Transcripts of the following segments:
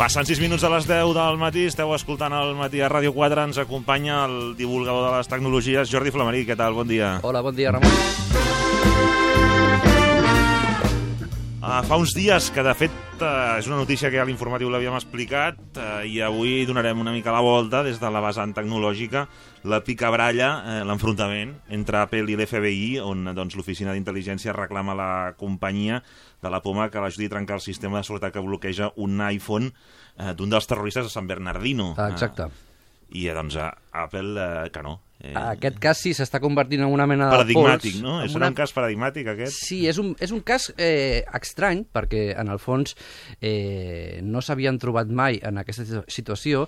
Passant 6 minuts de les 10 del matí, esteu escoltant el Matí a Ràdio 4, ens acompanya el divulgador de les tecnologies, Jordi Flamarí. Què tal? Bon dia. Hola, bon dia, Ramon. Fa uns dies que, de fet, és una notícia que a l'informatiu l'havíem explicat i avui donarem una mica la volta des de la vessant tecnològica, la picabralla, l'enfrontament entre Apple i l'FBI, on doncs, l'Oficina d'Intel·ligència reclama a la companyia de la Poma que l'ajudi a trencar el sistema de seguretat que bloqueja un iPhone d'un dels terroristes de San Bernardino. Exacte. I doncs Apple que no. Aquest cas sí s'està convertint en una mena de paradigmàtic, no? És un cas paradigmàtic, aquest? Sí, és un cas estrany, perquè en el fons no s'havien trobat mai en aquesta situació,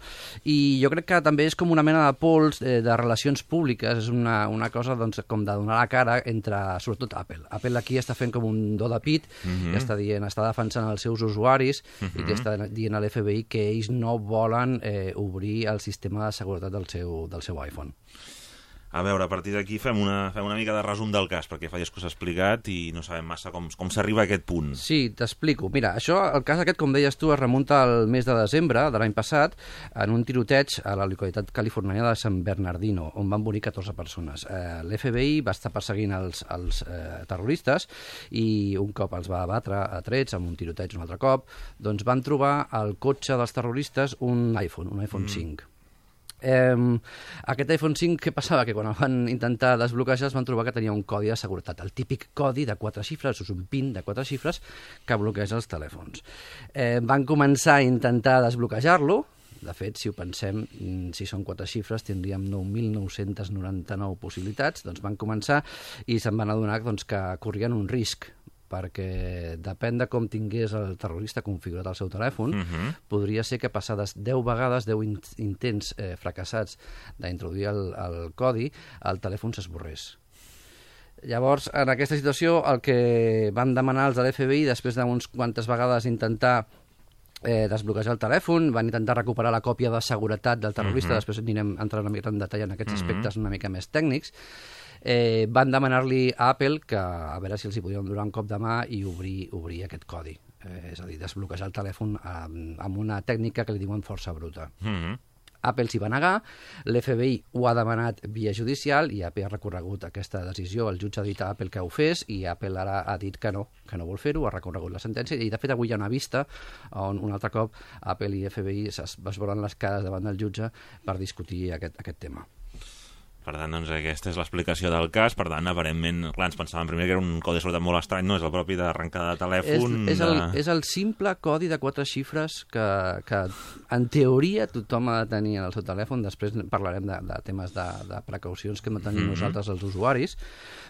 i jo crec que també és com una mena de pols de relacions públiques, és una cosa doncs, com de donar la cara entre, sobretot, Apple. Apple aquí està fent com un do de pit, que està dient, està defensant els seus usuaris, i que està dient a l'FBI que ells no volen obrir el sistema de seguretat del seu iPhone. A veure, a partir d'aquí fem una mica de resum del cas, perquè fa dies que us he explicat i no sabem massa com s'arriba a aquest punt. Sí, t'explico. Mira, el cas aquest, com deies tu, es remunta al mes de desembre de l'any passat en un tiroteig a la localitat californiana de San Bernardino, on van morir 14 persones. L'FBI va estar perseguint els terroristes i un cop els va abatre a trets, amb un tiroteig un altre cop, doncs van trobar al cotxe dels terroristes un iPhone 5. Aquest iPhone 5, què passava? Que quan el van intentar desbloquejar es van trobar que tenia un codi de seguretat, el típic codi de 4 xifres, és un PIN de 4 xifres que bloqueja els telèfons. Van començar a intentar desbloquejar-lo. De fet, si ho pensem, si són 4 xifres, tindríem 9.999 possibilitats. Doncs van començar i se'n van adonar doncs, que corrien un risc, perquè depèn de com tingués el terrorista configurat el seu telèfon, podria ser que passades 10 vegades, 10 intents fracassats d'introduir el codi, el telèfon s'esborrés. Llavors, en aquesta situació, el que van demanar els de l'FBI, després d'unes quantes vegades intentar desbloquejar el telèfon, van intentar recuperar la còpia de seguretat del terrorista, després anirem entrant una mica en detall en aquests aspectes una mica més tècnics. Van demanar-li a Apple que a veure si els hi podien donar un cop de mà i obrir aquest codi. És a dir, desbloquejar el telèfon amb una tècnica que li diuen força bruta. Apple s'hi va negar, l'FBI ho ha demanat via judicial i Apple ha recorregut aquesta decisió. El jutge ha dit a Apple que ho fes i Apple ara ha dit que no vol fer-ho, ha recorregut la sentència i de fet avui hi ha una vista on un altre cop Apple i FBI es veuen les cares davant del jutge per discutir aquest tema. Per tant, doncs, aquesta és l'explicació del cas. Per tant, aparentment, clar, ens pensàvem primer que era un codi de seguretat molt estrany, no? És el propi d'arrencada de telèfon. És el simple codi de 4 xifres que en teoria tothom ha de tenir en el seu telèfon. Després parlarem de temes de precaucions que hem de tenir nosaltres els usuaris.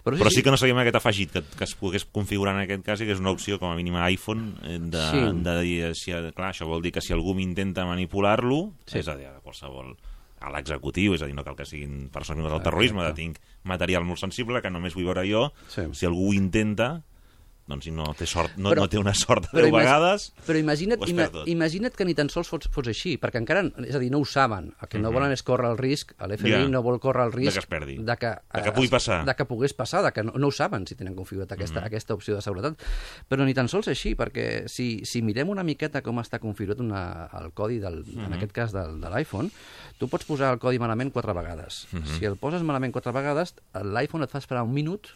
Però sí que no sabíem aquest afegit, que es pogués configurar en aquest cas i que és una opció, com a mínim a iPhone, de dir, clar, això vol dir que si algú m'intenta manipular-lo, és a dir, qualsevol a l'executiu, és a dir, no cal que siguin persones membres del terrorisme, tinc material molt sensible que només vull veure jo, si algú ho intenta, doncs si no té sort, no té una sort de 10 vegades, però imagina't que ni tan sols fos així, perquè encara, és a dir, no ho saben, el que no volen és córrer el risc, l'FBI no vol córrer el risc de que es perdi, de que pugui passar, de que pogués passar, de que no ho saben si tenen configurat aquesta opció de seguretat, però ni tan sols així, perquè si mirem una miqueta com està configurat el codi, en aquest cas de l'iPhone, tu pots posar el codi malament 4 vegades. Si el poses malament 4 vegades, l'iPhone et fa esperar un minut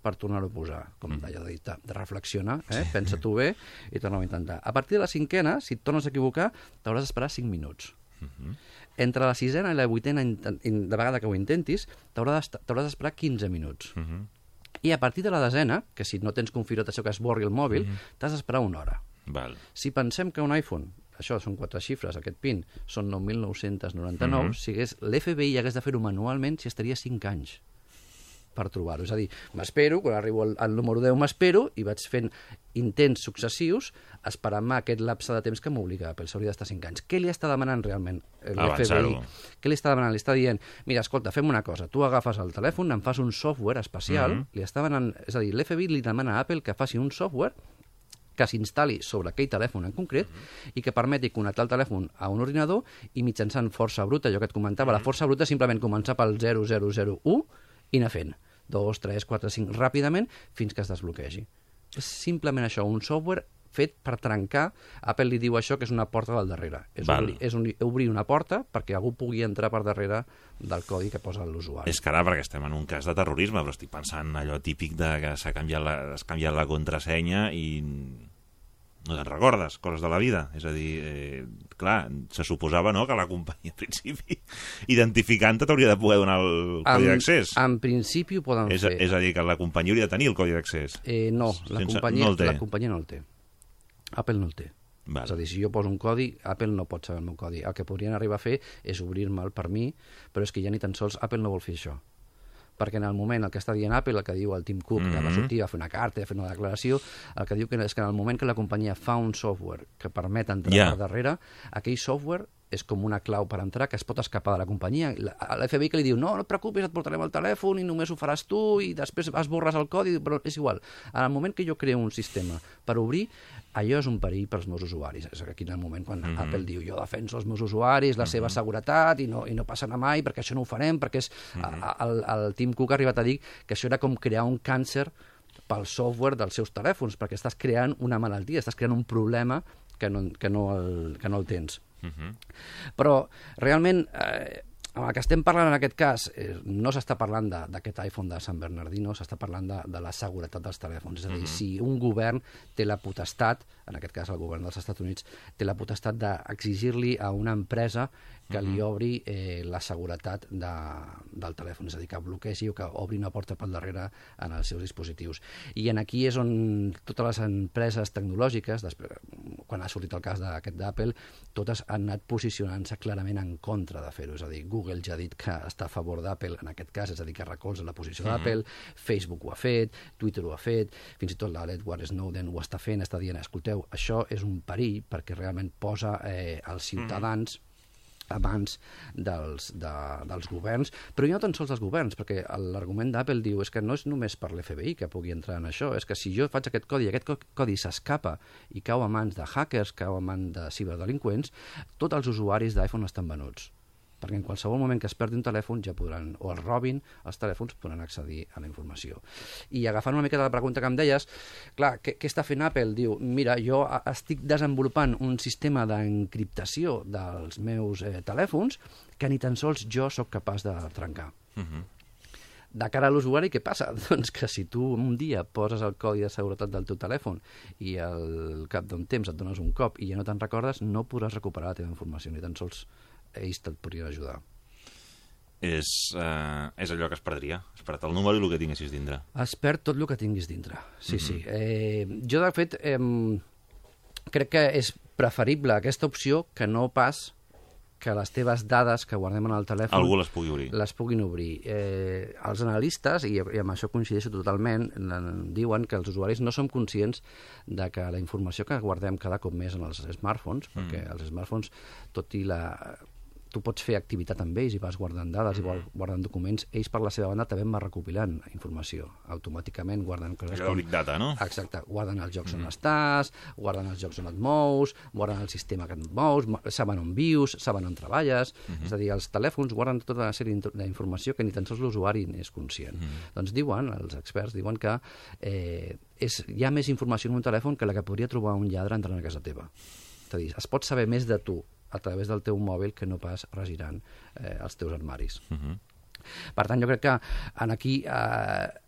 per tornar-ho a posar, com d'allò de reflexiona, pensa-t'ho bé i torna-ho a intentar. A partir de la 5ena, si et tornes a equivocar, t'hauràs d'esperar 5 minuts. Entre la 6ena i la 8ena de vegada que ho intentis, t'hauràs d'esperar 15 minuts. I a partir de la 10ena, que si no tens configurat això que esborri el mòbil, t'has d'esperar 1 hora. Si pensem que un iPhone, això són 4 xifres, aquest PIN, són 9.999, si l'FBI hagués de fer-ho manualment, s'hi estaria 5 anys per trobar-ho. És a dir, m'espero, quan arribo al número 10 m'espero i vaig fent intents successius esperant-me aquest lapse de temps que m'obliga, però s'hauria d'estar 5 anys. Què li està demanant realment l'FBI? Què li està demanant? Li està dient, mira, escolta, fem una cosa, tu agafes el telèfon, em fas un software especial, li està demanant, és a dir, l'FBI li demana a Apple que faci un software que s'instal·li sobre aquell telèfon en concret i que permeti connectar el telèfon a un ordinador i mitjançant força bruta, allò que et comentava, la força bruta simplement començar pel 0001 i anar fent 2, 3, 4, 5 ràpidament fins que es desbloquegi. És simplement això, un software fet per trencar. Apple li diu això que és una porta del darrere. És obrir una porta perquè algú pugui entrar per darrere del codi que posa l'usuari. És que ara, perquè estem en un cas de terrorisme, però estic pensant allò típic de que s'ha canviat la contrasenya i no te'n recordes, coses de la vida. És a dir, clar, se suposava que la companyia, en principi, identificant-te t'hauria de poder donar el codi d'accés. En principi ho poden fer. És a dir, que la companyia hauria de tenir el codi d'accés. No, la companyia no el té. Apple no el té. Val. És a dir, si jo poso un codi, Apple no pot saber el meu codi. El que podrien arribar a fer és obrir-me'l per mi, però és que ja ni tan sols Apple no vol fer això. Perquè en el moment, el que està dient Apple, el que diu el Tim Cook, que va sortir a fer una carta, a fer una declaració, el que diu és que en el moment que la companyia fa un software que permet entrar per darrere, aquell software és com una clau per entrar que es pot escapar de la companyia. L'FBI que li diu, no et preocupis, et portarem el telèfon i només ho faràs tu i després esborres el codi, però és igual. En el moment que jo creo un sistema per obrir, allò és un perill pels meus usuaris. És aquí en el moment quan Apple diu jo defenso els meus usuaris, la seva seguretat i no passarà mai perquè això no ho farem, perquè el Tim Cook ha arribat a dir que això era com crear un càncer pel software dels seus telèfons, perquè estàs creant una malaltia, estàs creant un problema que no el tens. Però realment amb el que estem parlant en aquest cas no s'està parlant d'aquest iPhone de San Bernardino, s'està parlant de la seguretat dels telèfons. És a dir, si un govern té la potestat, en aquest cas el govern dels Estats Units, té la potestat d'exigir-li a una empresa que li obri la seguretat del telèfon, és a dir, que bloquegi o que obri una porta pel darrere en els seus dispositius. I aquí és on totes les empreses tecnològiques, quan ha sortit el cas d'aquest d'Apple, totes han anat posicionant-se clarament en contra de fer-ho. És a dir, Google ja ha dit que està a favor d'Apple en aquest cas, és a dir, que recolza la posició d'Apple, Facebook ho ha fet, Twitter ho ha fet, fins i tot l'Edward Snowden ho està fent, està dient, escolteu, això és un perill perquè realment posa els ciutadans abans dels governs, però no tan sols dels governs, perquè l'argument d'Apple diu és que no és només per l'FBI que pugui entrar en això, és que si jo faig aquest codi i aquest codi s'escapa i cau a mans de hackers, cau a mans de ciberdelinqüents, tots els usuaris d'iPhone estan venuts. Perquè en qualsevol moment que es perdi un telèfon ja podran, o els robin, els telèfons podran accedir a la informació. I agafant una mica de la pregunta que em deies, clar, què està fent Apple? Diu, mira, jo estic desenvolupant un sistema d'encriptació dels meus telèfons que ni tan sols jo sóc capaç de trencar. De cara a l'usuari, què passa? Doncs que si tu un dia poses el codi de seguretat del teu telèfon i al cap d'un temps et dones un cop i ja no te'n recordes, no podràs recuperar la teva informació, ni tan sols ells te'l podrien ajudar. És allò que es perdria. Es perd el número i el que tinguessis dintre. Es perd tot el que tinguis dintre, sí. Jo, de fet, crec que és preferible aquesta opció que no pas que les teves dades que guardem en el telèfon algú les pugui obrir. Les puguin obrir. Els analistes, i amb això coincideixo totalment, diuen que els usuaris no som conscients de que la informació que guardem cada cop més en els smartphones, perquè els smartphones, tot i tu pots fer activitat amb ells i vas guardant dades i guardant documents, ells per la seva banda també van recopilant informació automàticament, guarden coses com... Big data, no? Exacte, guarden els llocs on estàs, guarden els llocs on et mous, guarden el sistema que et mous, saben on vius, saben on treballes, és a dir, els telèfons guarden tota una sèrie d'informació que ni tan sols l'usuari n'és conscient. Doncs diuen, els experts diuen que hi ha més informació en un telèfon que la que podria trobar un lladre entrant a casa teva. És a dir, es pot saber més de tu a través del teu mòbil que no pas regirant els teus armaris. Per tant, jo crec que aquí,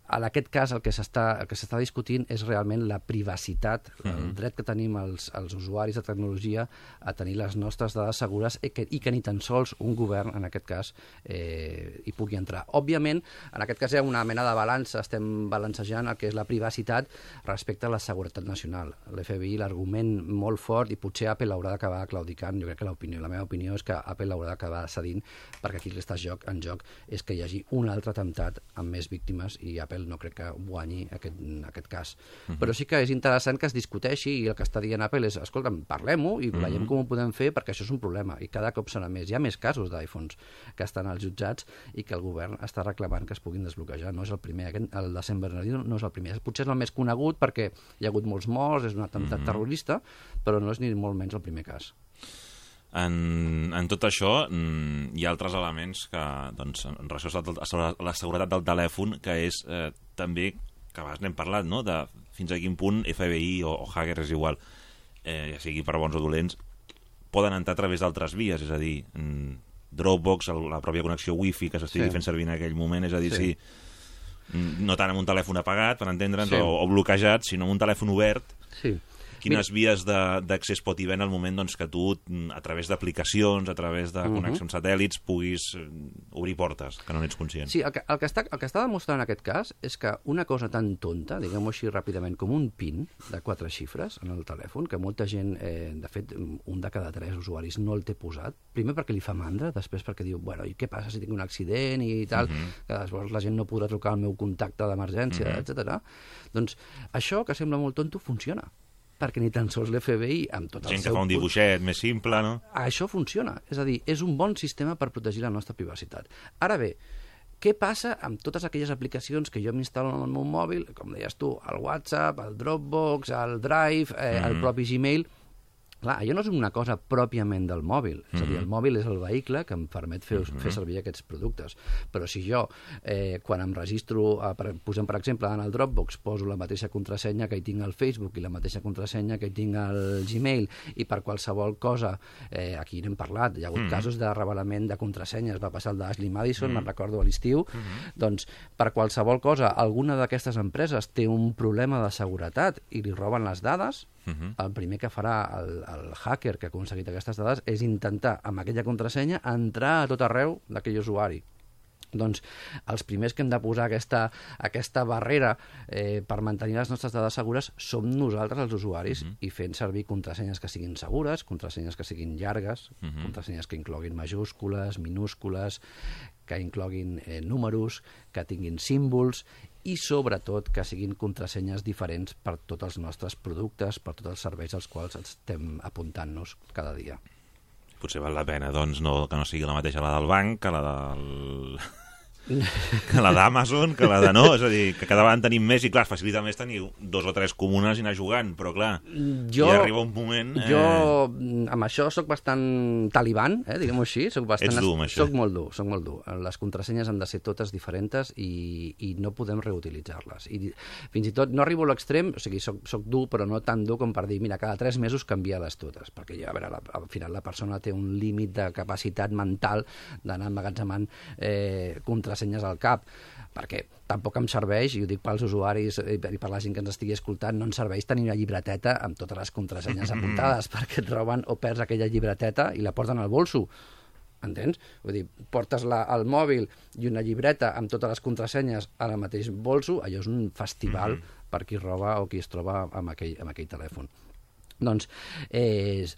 en aquest cas, el que s'està discutint és realment la privacitat, el dret que tenim els usuaris de tecnologia a tenir les nostres dades segures i que ni tan sols un govern, en aquest cas, hi pugui entrar. Òbviament, en aquest cas hi ha una mena de balança, estem balancejant el que és la privacitat respecte a la seguretat nacional. L'FBI, l'argument molt fort, i potser Apple haurà d'acabar claudicant, jo crec que la meva opinió és que Apple haurà d'acabar cedint, perquè aquí el que està en joc és que hi hagi un altre atemptat amb més víctimes i Apple no crec que guanyi aquest cas. Però sí que és interessant que es discuteixi i el que està dient Apple és, escolta'm, parlem-ho i veiem com ho podem fer perquè això és un problema i cada cop serà més. Hi ha més casos d'iPhones que estan als jutjats i que el govern està reclamant que es puguin desbloquejar. No és el primer, el de San Bernardino no és el primer. Potser és el més conegut perquè hi ha hagut molts morts, és un atemptat terrorista, però no és ni molt menys el primer cas. En tot això hi ha altres elements que, doncs, en relació a la seguretat del telèfon, que és també, que a vegades n'hem parlat, no?, de fins a quin punt FBI o hacker és igual, ja sigui per bons o dolents, poden entrar a través d'altres vies, és a dir, Dropbox, la pròpia connexió wifi que s'estigui fent servir en aquell moment, és a dir, no tant amb un telèfon apagat, per entendre'ns, o bloquejat, sinó amb un telèfon obert. Quines vies d'accés pot haver en el moment que tu, a través d'aplicacions, a través de connexions satèl·lits, puguis obrir portes, que no n'ets conscient. Sí, el que està demostrant en aquest cas és que una cosa tan tonta, diguem-ho així ràpidament, com un PIN de 4 xifres en el telèfon, que molta gent, de fet, un de cada 3 usuaris no el té posat, primer perquè li fa mandra, després perquè diu, bueno, i què passa si tinc un accident i tal, que després la gent no podrà trucar al meu contacte d'emergència, etc. Doncs això, que sembla molt tonto, funciona. Perquè ni tan sols l'FBI, amb tot el seu... Gent que fa un dibuixet més simple, no? Això funciona. És a dir, és un bon sistema per protegir la nostra privacitat. Ara bé, què passa amb totes aquelles aplicacions que jo m'instal·lo en el meu mòbil, com deies tu, el WhatsApp, el Dropbox, el Drive, el propi Gmail... Clar, allò no és una cosa pròpiament del mòbil. És a dir, el mòbil és el vehicle que em permet fer servir aquests productes. Però si jo, quan em registro, posem per exemple en el Dropbox, poso la mateixa contrasenya que hi tinc al Facebook i la mateixa contrasenya que hi tinc al Gmail, i per qualsevol cosa, aquí n'hem parlat, hi ha hagut casos de revelament de contrasenyes, va passar el d'Ashley Madison, me'n recordo a l'estiu, doncs per qualsevol cosa, alguna d'aquestes empreses té un problema de seguretat i li roben les dades, el primer que farà el hacker que ha aconseguit aquestes dades és intentar, amb aquella contrasenya, entrar a tot arreu d'aquell usuari. Doncs els primers que hem de posar aquesta barrera per mantenir les nostres dades segures som nosaltres, els usuaris, i fent servir contrasenyes que siguin segures, contrasenyes que siguin llargues, contrasenyes que incloguin majúscules, minúscules, que incloguin números, que tinguin símbols i, sobretot, que siguin contrasenyes diferents per tots els nostres productes, per tots els serveis als quals estem apuntant-nos cada dia. Potser val la pena, doncs, que no sigui la mateixa la del banc que la del... que la d'Amazon, que la de no, és a dir, que cada vegada en tenim més i, clar, facilita més tenir 2 o 3 comunes i anar jugant, però, clar, ja arriba un moment... Jo, amb això, sóc bastant taliban, diguem-ho així, Ets dur, amb això. Soc molt dur. Les contrasenyes han de ser totes diferents i no podem reutilitzar-les. I fins i tot no arribo a l'extrem, o sigui, soc dur, però no tan dur com per dir, mira, cada 3 mesos canvia-les totes, perquè ja, a veure, al final la persona té un límit de capacitat mental d'anar emmagatzemant contrasenyes al cap, perquè tampoc em serveix, i ho dic pels usuaris i per la gent que ens estigui escoltant, no ens serveix tenir una llibreteta amb totes les contrasenyes apuntades, perquè et roben o perds aquella llibreteta i la porten al bolso. Entens? Vull dir, portes al mòbil i una llibreta amb totes les contrasenyes al mateix bolso, allò és un festival per qui roba o qui es troba amb aquell telèfon. Doncs el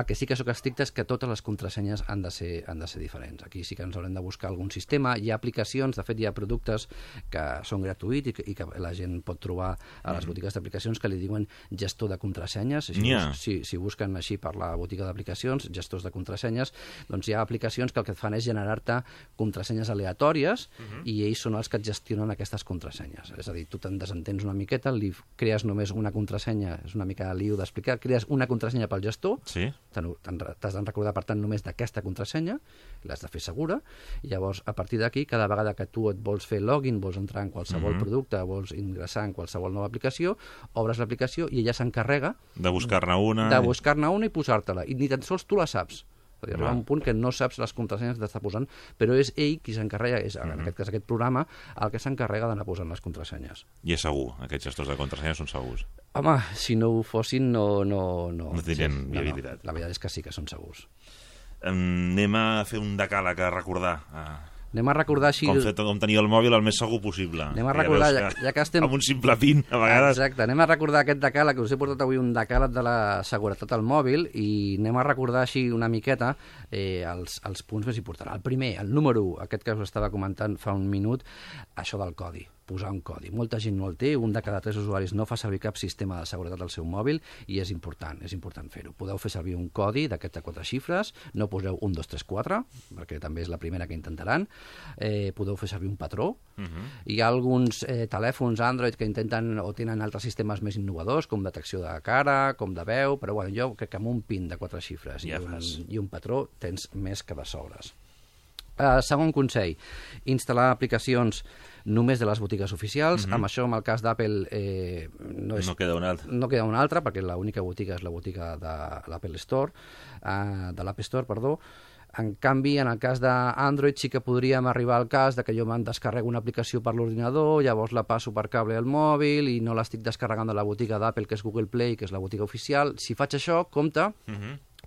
que sí que sóc estricte és que totes les contrasenyes han de ser diferents. Aquí sí que ens haurem de buscar algun sistema. Hi ha aplicacions, de fet hi ha productes que són gratuïts i que la gent pot trobar a les botigues d'aplicacions que li diuen gestor de contrasenyes. Si busquen així per la botiga d'aplicacions, gestors de contrasenyes, doncs hi ha aplicacions que el que et fan és generar-te contrasenyes aleatòries i ells són els que et gestionen aquestes contrasenyes. És a dir, tu te'n desentens una miqueta, li crees només una contrasenya, és una mica lío d'explicar, crees una contrasenya pel gestor, t'has de recordar, per tant, només d'aquesta contrasenya, l'has de fer segura, i llavors, a partir d'aquí, cada vegada que tu et vols fer login, vols entrar en qualsevol producte, vols ingressar en qualsevol nova aplicació, obres l'aplicació i ella s'encarrega de buscar-ne una i posar-te-la, i ni tan sols tu la saps. Arriba un punt que no saps les contrasenyes que t'està posant, però és ell qui s'encarrega, en aquest cas aquest programa, el que s'encarrega d'anar posant les contrasenyes. I és segur, aquests gestors de contrasenyes són segurs? Home, si no ho fossin, no tindrien viabilitat. La veritat és que sí que són segurs. Anem a fer un decàleg a recordar... Anem a recordar així... Com tenir el mòbil el més segur possible. Anem a recordar, ja que estem... Amb un simple PIN, a vegades... Exacte, anem a recordar aquest decàleg, que us he portat avui un decàleg de la seguretat al mòbil, i anem a recordar així una miqueta els punts més importants. El primer, el número 1, aquest que us estava comentant fa un minut, això del codi. Posar un codi. Molta gent no el té, un de cada 3 usuaris no fa servir cap sistema de seguretat al seu mòbil i és important fer-ho. Podeu fer servir un codi d'aquest de 4 xifres, no poseu 1, 2, 3, 4, perquè també és la primera que intentaran. Podeu fer servir un patró. Hi ha alguns telèfons Android que intenten o tenen altres sistemes més innovadors, com detecció de cara, com de veu, però jo crec que amb un PIN de 4 xifres i un patró tens més que de sobres. Segon consell, instal·lar aplicacions només de les botigues oficials. Amb això, en el cas d'Apple, no queda una altra, perquè l'única botiga és la botiga de l'Apple Store, de l'App Store, perdó. En canvi, en el cas d'Android sí que podríem arribar al cas de que jo me'n descarrego una aplicació per l'ordinador, llavors la passo per cable al mòbil i no l'estic descarregant de la botiga d'Apple, que és Google Play, que és la botiga oficial. Si faig això, compte,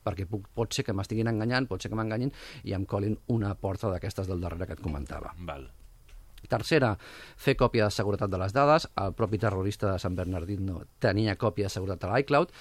perquè pot ser que m'estiguin enganyant, pot ser que m'enganyin i em colin una porta d'aquestes del darrere que et comentava. Val. Tercera, fer còpia de seguretat de les dades. El propi terrorista de San Bernardino tenia còpia de seguretat a l'iCloud.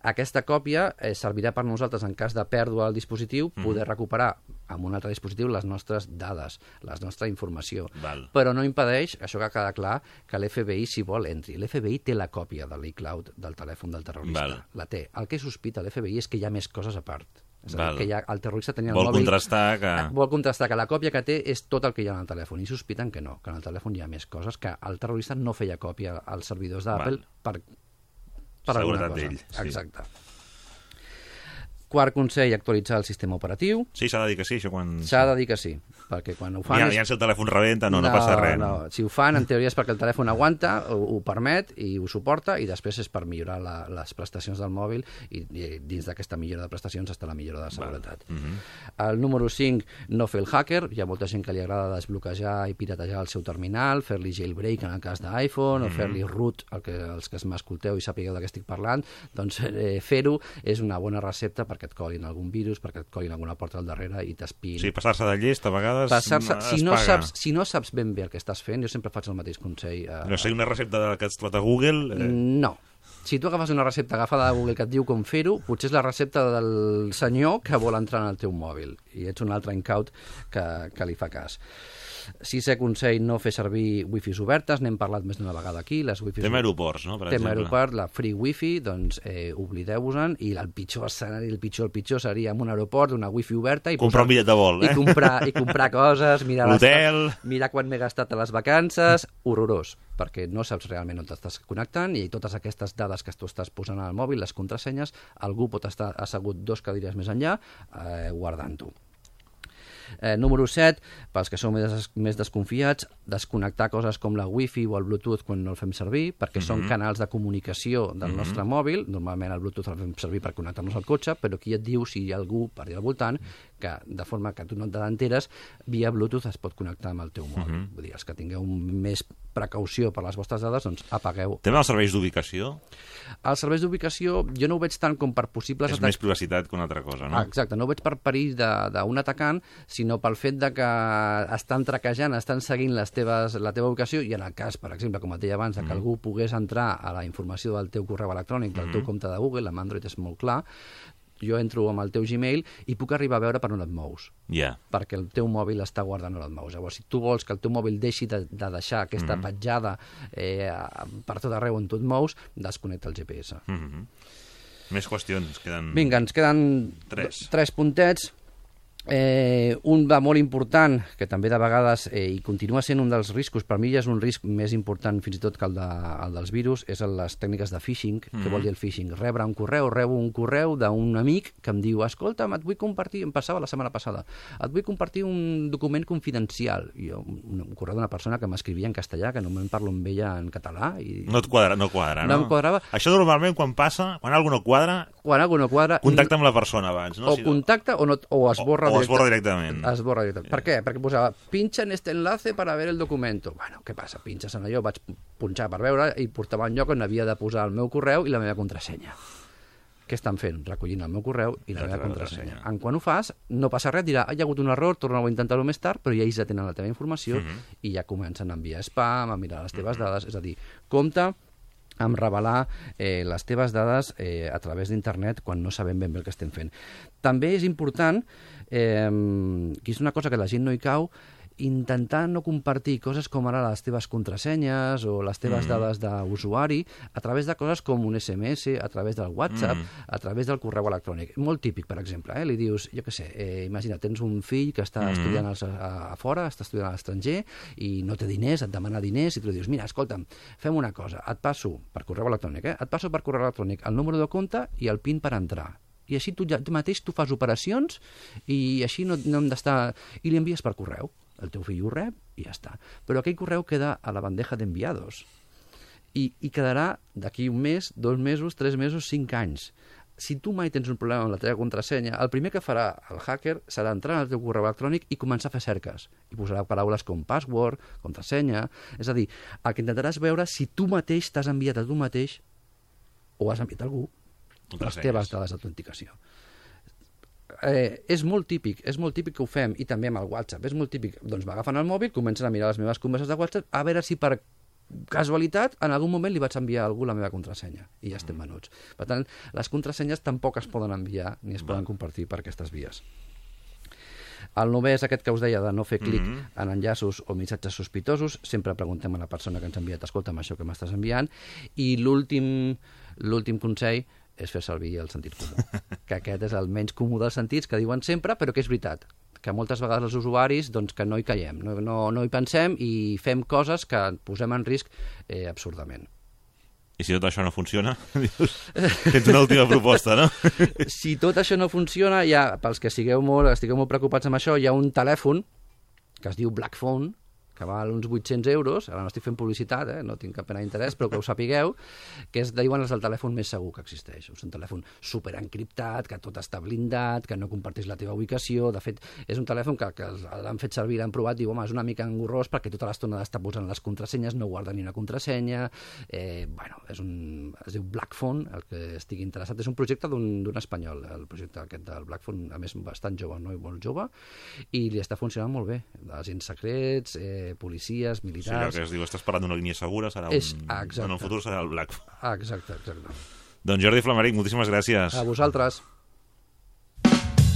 Aquesta còpia servirà per nosaltres, en cas de pèrdua del dispositiu, poder recuperar amb un altre dispositiu les nostres dades, la nostra informació. Val. Però no impedeix, això que queda clar, que l'FBI, si vol, entri. L'FBI té la còpia de l'iCloud del telèfon del terrorista. Val. La té. El que sospita l'FBI és que hi ha més coses a part. És a dir, que el terrorista tenia el Vol mòbil... Vol contrastar que la còpia que té és tot el que hi ha en el telèfon, i sospiten que no, que en el telèfon hi ha més coses, que el terrorista no feia còpia als servidors d'Apple per alguna cosa. D'ell, sí. Exacte. Quart consell, actualitzar el sistema operatiu. Sí, s'ha de dir que sí, això quan... S'ha de dir que sí, perquè quan ho fan... Ja si el telèfon rebenta, no passa res. No. Si ho fan, en teoria és perquè el telèfon aguanta, ho permet i ho suporta, i després és per millorar les prestacions del mòbil, i dins d'aquesta millora de prestacions està la millora de seguretat. El número 5, no fer el hacker. Hi ha molta gent que li agrada desbloquejar i piratejar el seu terminal, fer-li jailbreak en el cas d'iPhone, o fer-li root, els que m'escolteu i sapigueu de què estic parlant, doncs fer-ho és una bona recepta perquè et colin algun virus, perquè et colin alguna porta al darrere i t'espiïn. Sí, passar-se de llest a vegades si no saps ben bé el que estàs fent, jo sempre faig el mateix consell. No sé, una recepta que has trobat a Google... No. Si tu agafes una recepta agafada de Google que et diu com fer-ho, potser és la recepta del senyor que vol entrar en el teu mòbil i ets un altre incaut que li fa cas. Sisè consell, no fer servir wifis obertes, n'hem parlat més d'una vegada aquí. Tema aeroports, no? Per exemple. Tema aeroport, la free wifi, doncs oblideu-vos-en, i el pitjor escenari, el pitjor seria en un aeroport, una wifi oberta... Comprar un bitllet de vol, I comprar coses, mirar l'hotel... Mirar quan m'he gastat a les vacances, horrorós, perquè no saps realment on t'estàs connectant i totes aquestes dades que tu estàs posant al mòbil, les contrasenyes, algú pot estar assegut 2 cadires més enllà guardant-ho. Número 7, pels que sou més desconfiats, desconnectar coses com la Wi-Fi o el Bluetooth quan no el fem servir, perquè són canals de comunicació del nostre mòbil. Normalment el Bluetooth el fem servir per connectar-nos al cotxe, però aquí et diu si hi ha algú per allà al voltant que, de forma que tu no t'enteres, via Bluetooth es pot connectar amb el teu mòbil. Vull dir, els que tingueu més precaució per les vostres dades, doncs apagueu. Tema dels serveis d'ubicació? Els serveis d'ubicació jo no ho veig tant com per possibles... És més privacitat que una altra cosa, no? Exacte, no ho veig per perill d'un atacant, sinó pel fet de que estan traquejant, estan seguint la teva ubicació, i en el cas, per exemple, com et deia abans, que algú pogués entrar a la informació del teu correu electrònic, del teu compte de Google, amb Android és molt clar, jo entro amb el teu Gmail i puc arribar a veure per on et mous. Perquè el teu mòbil està guardant on et mous. Llavors, si tu vols que el teu mòbil deixi de deixar aquesta petjada per tot arreu on tu et mous, desconnecta el GPS. Més qüestions. Vinga, ens queden 3 puntets. Un de molt important, que també de vegades i continua sent un dels riscos, per mi ja és un risc més important fins i tot que el dels virus, és les tècniques de phishing. Què vol dir el phishing? Rebo un correu d'un amic que em diu, escolta'm, et vull compartir, em passava la setmana passada, et vull compartir un document confidencial. Un correu d'una persona que m'escrivia en castellà, que només parlo amb ella en català. No et quadra, no? No em quadrava. Això normalment quan passa, quan algú no quadra, contacta amb la persona abans. O contacta o esborra directament. Per què? Perquè posava, pincha en este enlace para ver el documento. Bueno, què passa? Pinches en allò, vaig punxar per veure i portava un lloc on havia de posar el meu correu i la meva contrasenya. Què estan fent? Recollint el meu correu i la meva contrasenya. Quan ho fas, no passa res, dirà, hi ha hagut un error, torna-ho a intentar-ho més tard, però ja ells ja tenen la teva informació i ja comencen a enviar spam, a mirar les teves dades. És a dir, compte amb revelar les teves dades a través d'internet quan no sabem ben bé el que estem fent. També és important, que és una cosa que la gent no hi cau, intentar no compartir coses com ara les teves contrasenyes o les teves dades d'usuari a través de coses com un SMS, a través del WhatsApp, a través del correu electrònic. Molt típic, per exemple. Li dius, jo què sé, imagina, tens un fill que està estudiant a fora, està estudiant a l'estranger i no té diners, et demana diners i tu li dius, mira, escolta'm, fem una cosa, et passo per correu electrònic, el número de compte i el PIN per entrar. i així tu mateix tu fas operacions i així no hem d'estar... I li envies per correu. El teu fill ho rep i ja està. Però aquell correu queda a la bandeja d'enviados i quedarà d'aquí un mes, 2 mesos, 3 mesos, 5 anys. Si tu mai tens un problema amb la teva contrasenya, el primer que farà el hacker serà entrar en el teu correu electrònic i començar a fer cerques. I posarà paraules com password, contrasenya... És a dir, el que intentaràs veure si tu mateix t'has enviat a tu mateix o has enviat a algú les teves dades d'autenticació. És molt típic que ho fem, i també amb el WhatsApp. És molt típic. Doncs m'agafen el mòbil, comencen a mirar les meves converses de WhatsApp, a veure si per casualitat, en algun moment li vaig enviar a algú la meva contrasenya i ja estem venuts. Per tant, les contrasenyes tampoc es poden enviar ni es poden compartir per aquestes vies. El 9è és aquest que us deia de no fer clic en enllaços o missatges sospitosos. Sempre preguntem a la persona que ens ha enviat, escolta'm, això que m'estàs enviant. I l'últim consell és fer servir el sentit comú, que aquest és el menys comú dels sentits que diuen sempre, però que és veritat, que moltes vegades els usuaris doncs, que no hi caiem, no hi pensem i fem coses que posem en risc absurdament. I si tot això no funciona? Tens una última proposta, no? Si tot això no funciona, pels que estigueu molt preocupats amb això, hi ha un telèfon que es diu Blackphone, que val uns 800 euros, ara no estic fent publicitat, no tinc cap pena d'interès, però que ho sapigueu, que diuen és el telèfon més segur que existeix. És un telèfon superencriptat, que tot està blindat, que no comparteix la teva ubicació. De fet, és un telèfon que l'han fet servir, l'han provat, diu, home, és una mica engorrós perquè tota l'estona està posant les contrasenyes, no guarda ni una contrasenya. Es diu Blackphone, el que estigui interessat. És un projecte d'un espanyol, el projecte aquest del Blackphone, a més bastant jove, no? I molt jove, i li està funcionant molt bé. Agents secrets, policies, militars... Sí, allò que es diu, estàs parlant d'una línia segura, en el futur serà el Blackphone. Exacte. Doncs Jordi Flamaric, moltíssimes gràcies. A vosaltres.